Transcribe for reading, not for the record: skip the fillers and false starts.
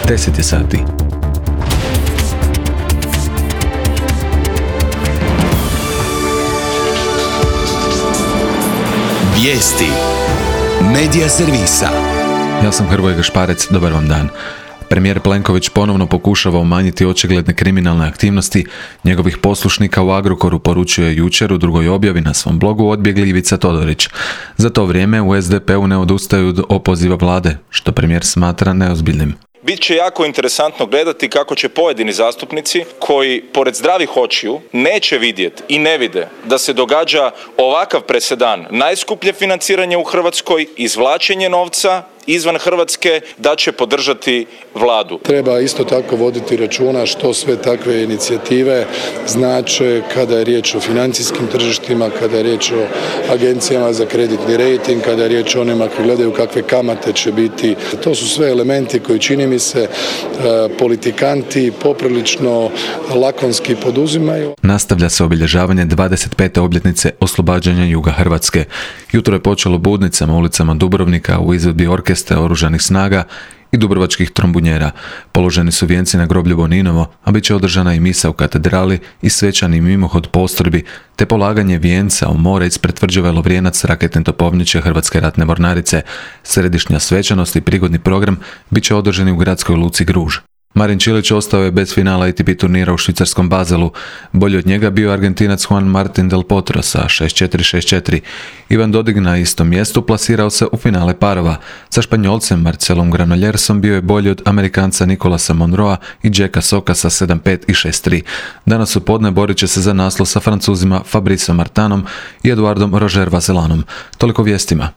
10 je sati. Vijesti Medija servisa. Ja sam Hrvoje Gašparec, dobar vam dan. Premijer Plenković ponovno pokušava umanjiti očigledne kriminalne aktivnosti njegovih poslušnika u Agrokoru, poručio je jučer u drugoj objavi na svom blogu odbjegli Ivica Todorić. Za to vrijeme u SDP-u ne odustaju od opoziva vlade, što premijer smatra neozbiljnim. Bit će jako interesantno gledati kako će pojedini zastupnici koji pored zdravih očiju neće vidjeti i ne vide da se događa ovakav presedan, najskuplje financiranje u Hrvatskoj, izvlačenje novca izvan Hrvatske, da će podržati vladu. Treba isto tako voditi računa što sve takve inicijative znače kada je riječ o financijskim tržištima, kada je riječ o agencijama za kreditni rejting, kada je riječ o onima koji gledaju kakve kamate će biti. To su sve elementi koji, čini mi se, politikanti poprilično lakonski poduzimaju. Nastavlja se obilježavanje 25. obljetnice oslobađanja juga Hrvatske. Jutro je počelo budnicama ulicama Dubrovnika u izvedbi orkestra oružanih snaga i dubrovačkih trombunjera. Položeni su vijenci na groblju Boninovo, a bit će održana i misa u katedrali i svečani mimohod postrojbi, te polaganje vijenca u more ispred tvrđave Lovrijenac raketne topovnjiće Hrvatske ratne mornarice. Središnja svečanost i prigodni program bit će održani u gradskoj luci Gruž. Marin Čilić ostao je bez finala ATP turnira u švicarskom Baselu. Bolji od njega bio Argentinac Juan Martín del Potro sa 6-4, 6-4. Ivan Dodig na istom mjestu plasirao se u finale parova. Sa Španjolcem Marcelom Granollersom bio je bolji od Amerikanca Nicolasa Monroa i Jacka Soka sa 7-5 i 6-3. Danas u podne borit će se za naslov sa Francuzima Fabrice Martinom i Eduardom Roger Vaselanom. Toliko vijestima.